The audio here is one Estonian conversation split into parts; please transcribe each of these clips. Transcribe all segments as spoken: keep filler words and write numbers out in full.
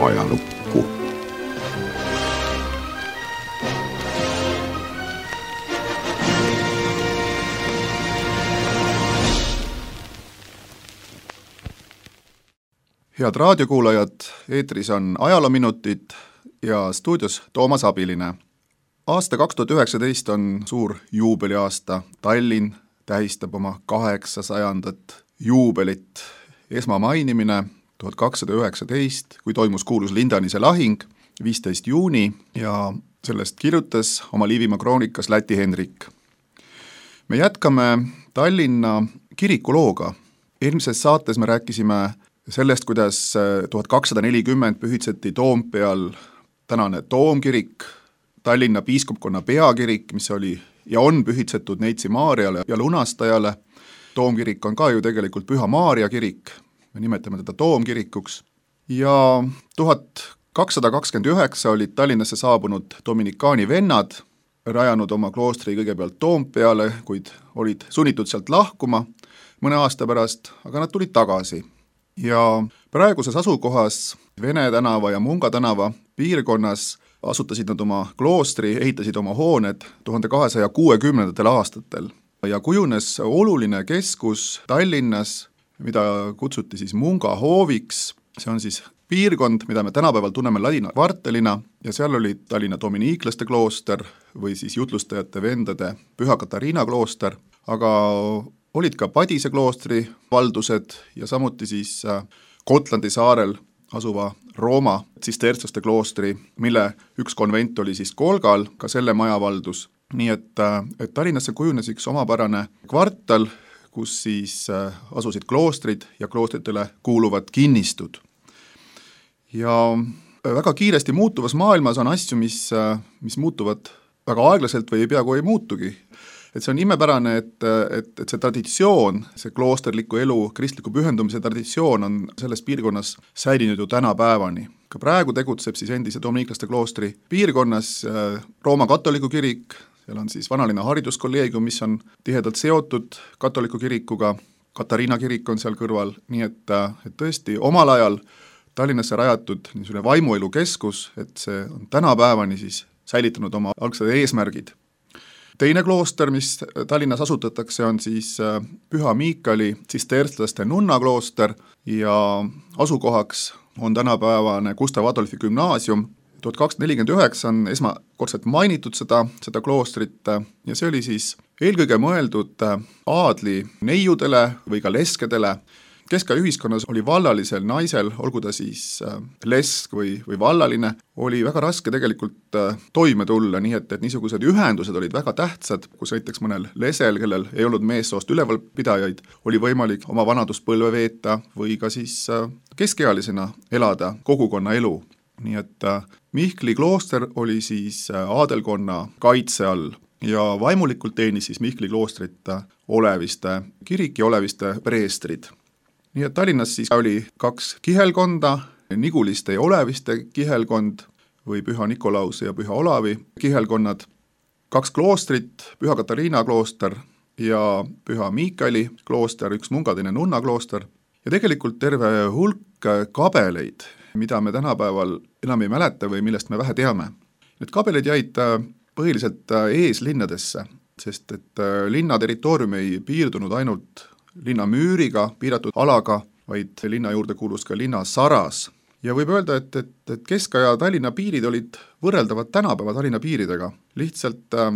ajalukku. Head raadiokuulajad, eetris on ajaloominutid ja stuudios Toomas Abiline. Aasta kaks tuhat üheksateist on suur juubeliaasta. Tallinn tähistab oma kaheksasajandat juubelit. Esmamainimine tuhat kakssada üheksateist, kui toimus kuulus Lindanise lahing, viisteist juuni, ja sellest kirjutas oma Liivimaa kroonikas Läti Henrik. Me jätkame Tallinna kirikulooga. Eelmises saates me rääkisime sellest, kuidas tuhat kakssada nelikümmend pühitseti Toompeal tänane Toomkirik, Tallinna piiskopkonna peakirik, mis oli ja on pühitsetud Neitsi Maarjale ja Lunastajale. Toomkirik on ka ju tegelikult Püha Maarja kirik, me nimetame teda Toomkirikuks. Ja tuhat kakssada kakskümmend üheksa olid Tallinnasse saabunud dominikaani vennad, rajanud oma kloostri kõigepealt Toompeale, kuid olid sunnitud sealt lahkuma mõne aasta pärast, aga nad tulid tagasi. Ja praeguses asukohas Vene tänava ja Munga tänava piirkonnas asutasid nad oma kloostri, ehitasid oma hooned tuhande kahesaja kuuekümnendatel aastatel ja kujunes oluline keskus Tallinnas, mida kutsuti siis Munga hooviks. See on siis piirkond, mida me tänapäeval tunneme Ladina kvartalina, ja seal oli Tallinna dominiiklaste klooster või siis jutlustajate vendade Püha Katariina klooster, aga olid ka Padise kloostri valdused ja samuti siis Gotlandi saarel asuva Rooma tsistertslaste kloostri, mille üks konvent oli siis Kolgal, ka selle maja valdus. Nii et, et Tallinnasse kujunes üks omapärane kvartal, kus siis asusid kloostrid ja kloostritele kuuluvad kinnistud. Ja väga kiiresti muutuvas maailmas on asju, mis, mis muutuvad väga aeglaselt või ei peaaegu ei muutugi. Et see on imepärane, et, et, et see traditsioon, see kloosterliku elu, kristliku pühendumise traditsioon on selles piirkonnas säilinud ju tänapäevani. Ka praegu tegutseb siis endise dominiiklaste kloostri piirkonnas Rooma katoliku kirik, seal on siis vanalinna hariduskolleegium, mis on tihedalt seotud katoliku kirikuga, Katariina kirik on seal kõrval, nii et, et tõesti omal ajal Tallinnasse rajatud niisugune vaimuelu keskus, et see on tänapäevani siis säilitanud oma algsed eesmärgid. Teine klooster, mis Tallinnas asutatakse, on siis Püha Miikali tsistertslaste nunnaklooster ja asukohaks on tänapäevane Gustav Adolfi gümnaasium. tuhat kakssada nelikümmend üheksa on esmakordselt mainitud seda, seda kloostrit ja see oli siis eelkõige mõeldud aadli neiudele või ka leskedele. Keskaja ühiskonnas oli vallalisel naisel, olgu ta siis lesk või, või vallaline, oli väga raske tegelikult toime tulla, nii et, et niisugused ühendused olid väga tähtsad, kus näiteks mõnel lesel, kellel ei olnud meessoost ülevalpidajaid, oli võimalik oma vanaduspõlve veeta või ka siis keskealisena elada kogukonna elu. Nii et Mihkli klooster oli siis aadelkonna kaitse all ja vaimulikult teenis siis Mihkli kloostrit Oleviste kirik ja Oleviste preestrid. Nii et Tallinnas siis oli kaks kihelkonda, Niguliste ja Oleviste kihelkond või Püha Nikolause ja Püha Olavi kihelkonnad, kaks kloostrit, Püha Katariina klooster ja Püha Miikali klooster, üks mungadine nunna klooster ja tegelikult terve hulk kabeleid, mida me tänapäeval enam ei mäleta või millest me vähe teame. Need kabeleid jäid põhiliselt eeslinnadesse, sest et linna territoorium ei piirdunud ainult linna müüriga, piiratud alaga, vaid linna juurde kuulus ka linna saras. Ja võib öelda, et, et, et Keskaja Tallinna piirid olid võrreldavad tänapäeva Tallinna piiridega. Lihtsalt äh,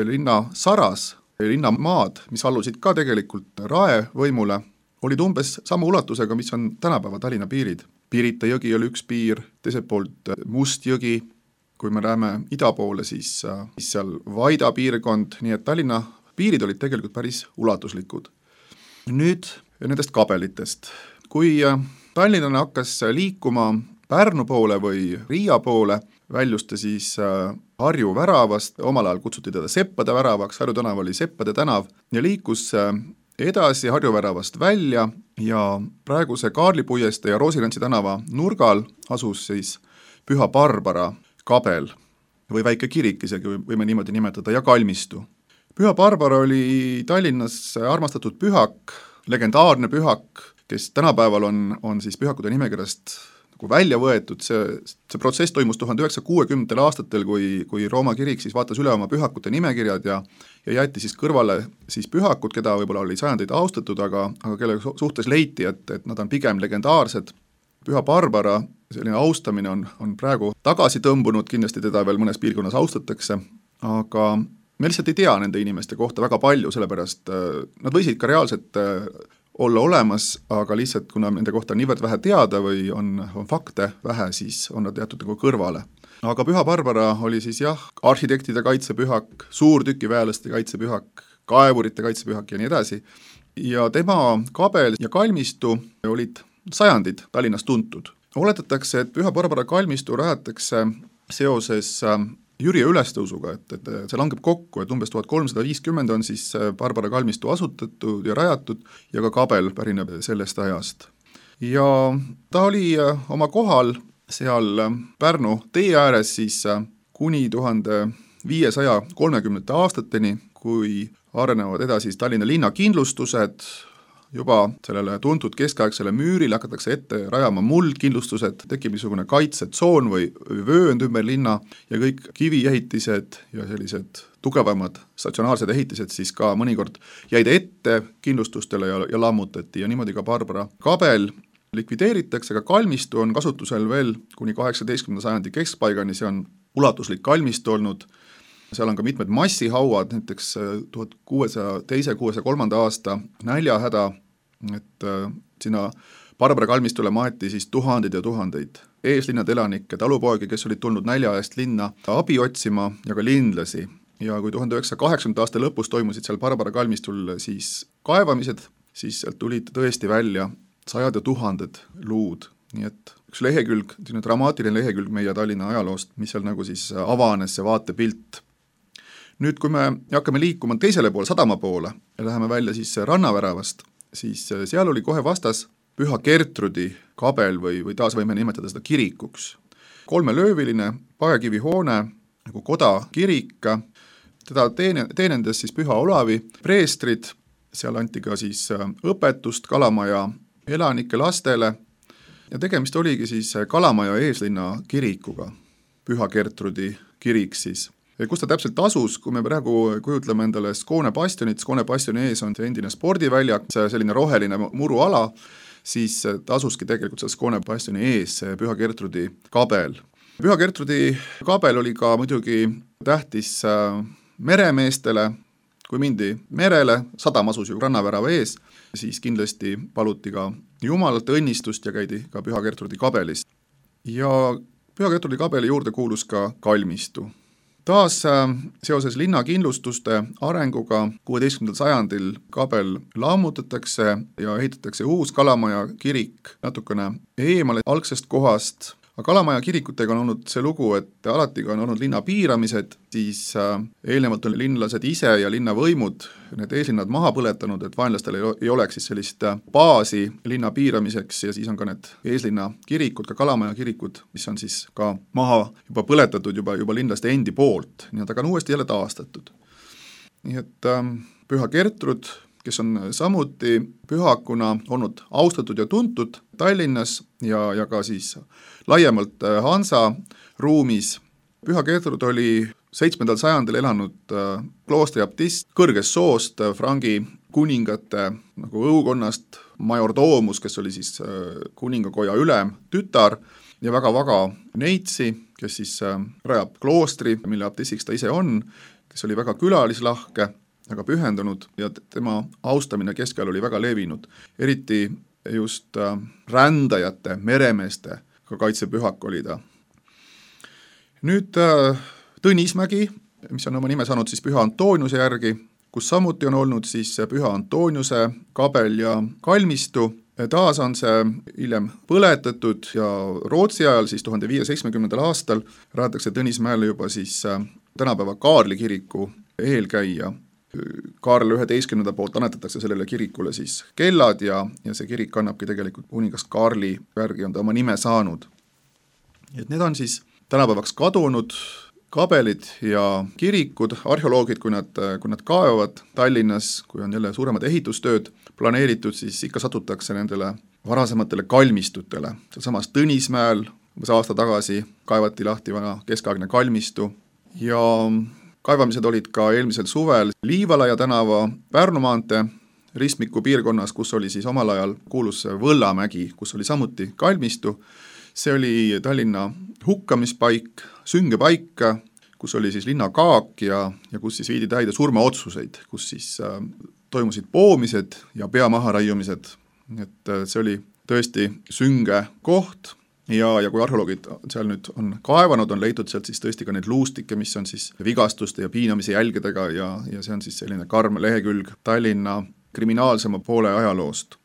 linna saras, linna maad, mis allusid ka tegelikult rae võimule, olid umbes sama ulatusega, mis on tänapäeva Tallinna piirid. Pirita jõgi oli üks piir, teiselt poolt Must jõgi, kui me läheme ida poole, siis, äh, siis seal Vaida piirkond, nii et Tallinna piirid olid tegelikult päris ulatuslikud. Nüüd nendest kabelitest. Kui tallinlane hakkas liikuma Pärnu poole või Riia poole, väljus ta siis Harju väravast, omal ajal kutsuti teda Seppade väravaks, Harju tänav oli Seppade tänav, ja liikus edasi Harju väravast välja ja praeguse Kaarlipuieste ja Roosirantsi tänava nurgal asus siis Püha Barbara kabel või väike kirik isegi võime niimoodi nimetada ja kalmistu. Püha Barbara oli Tallinnas armastatud pühak, legendaarne pühak, kes tänapäeval on, on siis pühakute nimekirjast nagu välja võetud, see, see protsess toimus tuhande üheksasaja kuuekümnendatel aastatel, kui, kui Rooma kirik siis vaatas üle oma pühakute nimekirjad ja, ja jäeti siis kõrvale siis pühakud, keda võib-olla oli sajandeid austatud, aga, aga kelle suhtes leiti, et, et nad on pigem legendaarsed. Püha Barbara selline austamine on, on praegu tagasi tõmbunud, kindlasti teda veel mõnes piirkonnas austatakse, aga me lihtsalt ei tea nende inimeste kohta väga palju, sellepärast nad võisid ka reaalselt olla olemas, aga lihtsalt kuna nende kohta on niivõrd vähe teada või on, on fakte vähe, siis on nad jäetud nagu kõrvale. Aga Püha Barbara oli siis jah, arhitektide kaitsepühak, suurtükiväelaste kaitsepühak, kaevurite kaitsepühak ja nii edasi. Ja tema kabel ja kalmistu olid sajandid Tallinnas tuntud. Oletatakse, et Püha Barbara kalmistu rajatakse seoses Jüri ülestõusuga, et, et see langeb kokku, et umbes tuhat kolmsada viiskümmend on siis Barbara kalmistu asutatud ja rajatud ja ka kabel pärineb sellest ajast. Ja ta oli oma kohal seal Pärnu tee ääres siis kuni tuhande viiesaja kolmekümnendate aastateni, kui arenevad edasi Tallinna linnakindlustused, juba sellele tuntud keskaegsele müürile hakatakse ette rajama muldkindlustused, tekib niisugune kaitsetsoon või vöönd ümber linna ja kõik kiviehitised ja sellised tugevamad statsionaarsed ehitised siis ka mõnikord jäid ette kindlustustele ja, ja lammutati ja niimoodi ka Barbara kabel likvideeritakse, aga kalmistu on kasutusel veel kuni kaheksateistkümnenda sajandi keskpaigani, see on ulatuslik kalmistu olnud. Seal on ka mitmed massihauad, näiteks tuhat kuuesaja teise, kuuesaja kolmanda aasta näljahäda, et äh, sinna Barbara kalmistule maeti siis tuhandeid ja tuhandeid eeslinnade elanikke, talupoegi, kes olid tulnud nälja eest linna abi otsima ja ka linlasi. Ja kui tuhande üheksasaja kaheksakümnenda aasta lõpus toimusid seal Barbara kalmistul siis kaevamised, siis sealt tulid tõesti välja sajad ja tuhanded luud. Nii et üks lehekülg, dramaatiline lehekülg meie Tallinna ajaloost, mis seal nagu siis avanes see vaatepilt. Nüüd, kui me hakkame liikuma teisele poole, sadama poole ja läheme välja siis rannaväravast, siis seal oli kohe vastas Püha Gertrudi kabel või, või taas võime nimetada seda kirikuks. Kolmelööviline paekivihoone, nagu kodakirik, teda teene, teenendas siis Püha Olavi preestrid, seal anti ka siis õpetust Kalamaja elanike lastele ja tegemist oligi siis Kalamaja eeslinna kirikuga, Püha Gertrudi kirik siis. Kus ta täpselt asus, kui me praegu kujutleme endale Skoone bastionit, Skoone bastioni ees on see endine spordiväljak, see selline roheline muruala, siis ta asuski tegelikult seal Skoone bastioni ees, see Püha Gertrudi kabel. Püha Gertrudi kabel oli ka muidugi tähtis meremeestele, kui mindi merele, sadam asus ju rannavärava ees, siis kindlasti paluti ka Jumalalt õnnistust ja käidi ka Püha Gertrudi kabelis. Ja Püha Gertrudi kabeli juurde kuulus ka kalmistu. Taas seoses linnakindlustuste arenguga kuueteistkümnendal sajandil kabel lammutatakse ja ehitatakse uus Kalamaja kirik natukene eemale algsest kohast. Aga Kalamaja kirikutega on olnud see lugu, et alati on olnud linna piiramised, siis eelnevalt on linlased ise ja linnavõimud need eeslinnad maha põletanud, et vaenlastel ei oleks siis sellist baasi linna piiramiseks ja siis on ka need eeslinna kirikud, ka Kalamaja kirikud, mis on siis ka maha juba põletatud juba, juba linlaste endi poolt, nii et aga on uuesti jälle taastatud. Nii et ähm, Püha Gertrud, kes on samuti pühakuna olnud austatud ja tuntud Tallinnas ja, ja ka siis laiemalt Hansa ruumis. Püha Gertrud oli seitsmendal sajandil elanud kloostri abtist kõrgest soost, frangi kuningate nagu õukonnast, majordoomus, kes oli siis kuningakoja ülem, tütar ja väga vaga neitsi, kes siis rajab kloostri, mille abtissiks ta ise on, kes oli väga külalislahke, väga pühendunud ja tema austamine keskajal oli väga levinud. Eriti just rändajate, meremeeste ka kaitsepühak oli ta. Nüüd Tõnismägi, mis on oma nime saanud siis Püha Antoniuse järgi, kus samuti on olnud siis Püha Antoniuse kabel ja kalmistu. Taas on see hiljem põletatud ja Rootsi ajal siis tuhande viiesaja seitsmekümnendal aastal rajatakse Tõnismäele juba siis tänapäeva Kaarli kiriku eelkäija. Kaarl üheteistkümnenda poolt annetatakse sellele kirikule siis kellad ja, ja see kirik kannabki tegelikult kuningas Kaarli järgi on ta oma nime saanud. Et need on siis tänapäevaks kadunud kabelid ja kirikud, arheoloogid, kui nad, kui nad kaevavad Tallinnas, kui on jälle suuremad ehitustööd planeeritud, siis ikka satutakse nendele varasematele kalmistutele. Sealsamas Tõnismäel umbes aasta tagasi kaevati lahti vana keskaegne kalmistu ja kaevamised olid ka eelmisel suvel Liivalaia tänava Pärnu maantee ristmiku piirkonnas, kus oli siis omal ajal kuulus Võllamägi, kus oli samuti kalmistu. See oli Tallinna hukkamispaik, süngepaik, kus oli siis linnakaak ja, ja kus siis viidi täide surmaotsuseid, kus siis äh, toimusid poomised ja pea maharaiumised. Et äh, see oli tõesti sünge koht ja, ja kui arheoloogid seal nüüd on kaevanud, on leitud sealt siis tõesti ka neid luustikke, mis on siis vigastuste ja piinamise jälgedega ja, ja see on siis selline karm lehekülg Tallinna kriminaalsema poole ajaloost.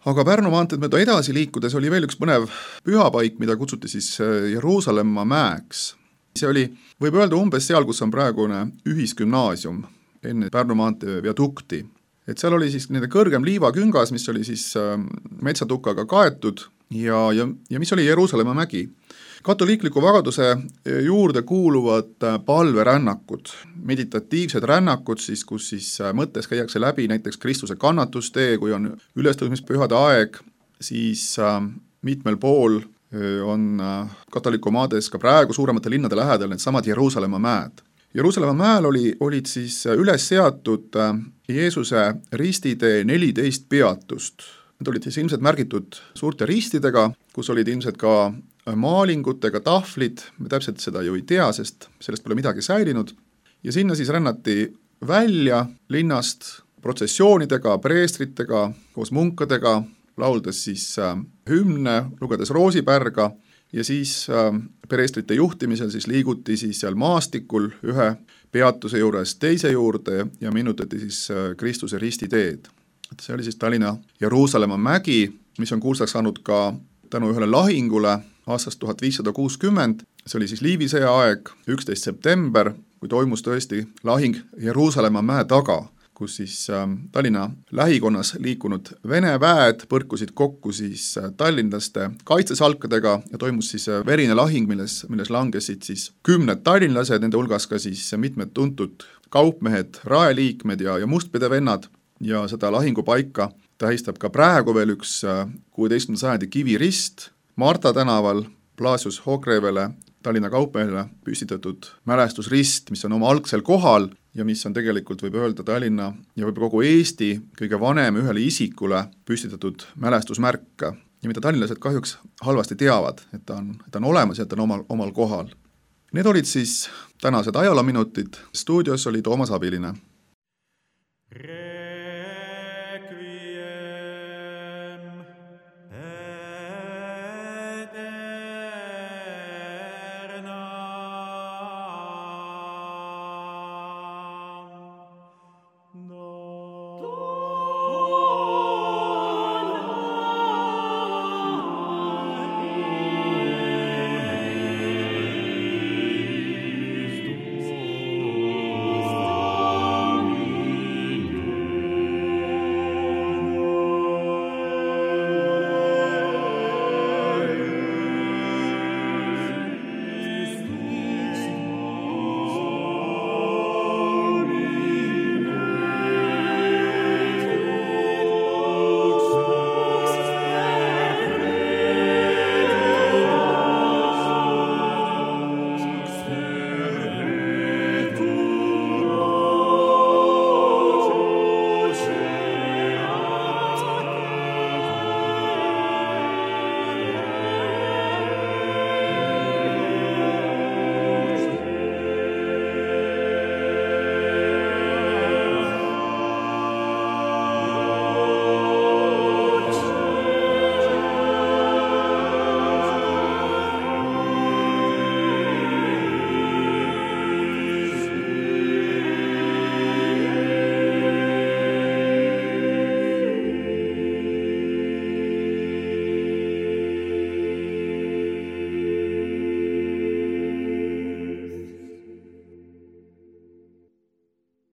Aga Pärnu maanteed mööda edasi liikudes oli veel üks põnev pühapaik, mida kutsuti siis Jeruusalemma mäeks. See oli, võib öelda umbes seal, kus on praegune ühisgümnaasium enne Pärnu maantee viadukti. Et seal oli siis nende kõrgem liivaküngas, mis oli siis metsatukaga kaetud ja, ja, ja mis oli Jeruusalemma mägi. Katoliikliku vagaduse juurde kuuluvad palverännakud, meditatiivsed rännakud, siis, kus siis mõttes käiakse läbi näiteks Kristuse kannatustee, kui on ülestõusmispühade aeg, siis mitmel pool on katoliku maades ka praegu suuremate linnade lähedal need samad Jeruusalemma mäed. Jeruusalemma mäel oli, olid siis üles seatud Jeesuse ristitee neliteist peatust. Need olid siis ilmselt märgitud suurte ristidega, kus olid ilmselt ka maalingutega tahvlid, me täpselt seda ju ei tea, sest sellest pole midagi säilinud. Ja sinna siis rännati välja linnast protsessioonidega, preestritega, koos munkadega, lauldes siis hümne, lugedes roosipärga ja siis preestrite juhtimisel siis liiguti siis seal maastikul ühe peatuse juures teise juurde ja minutati siis Kristuse ristiteed. See oli siis Tallinna Jeruusalemma mägi, mis on kuulsaks saanud ka tänu ühele lahingule aastast tuhat viissada kuuskümmend, see oli siis Liivisõja aeg, üksteist september, kui toimus tõesti lahing Jeruusalemma mäe taga, kus siis Tallinna lähikonnas liikunud Vene väed põrkusid kokku siis tallinlaste kaitsesalkadega ja toimus siis verine lahing, milles, milles langesid siis kümned tallinlased, nende hulgas ka siis mitmed tuntud kaupmehed, raeliikmed ja, ja mustpidevennad ja seda lahingupaika tähistab ka praegu veel üks kuueteistkümnenda sajandi kivirist Marta tänaval Blasius Hogrevele, Tallinna kaupmehele püstitatud mälestusrist, mis on oma algsel kohal ja mis on tegelikult, võib öelda, Tallinna ja võib kogu Eesti kõige vanem ühele isikule püstitatud mälestusmärk ja mida tallinlased kahjuks halvasti teavad, et ta on, ta on olemas ja ta on omal, omal kohal. Need olid siis tänased ajaloominutid. Stuudios oli Toomas Abiline.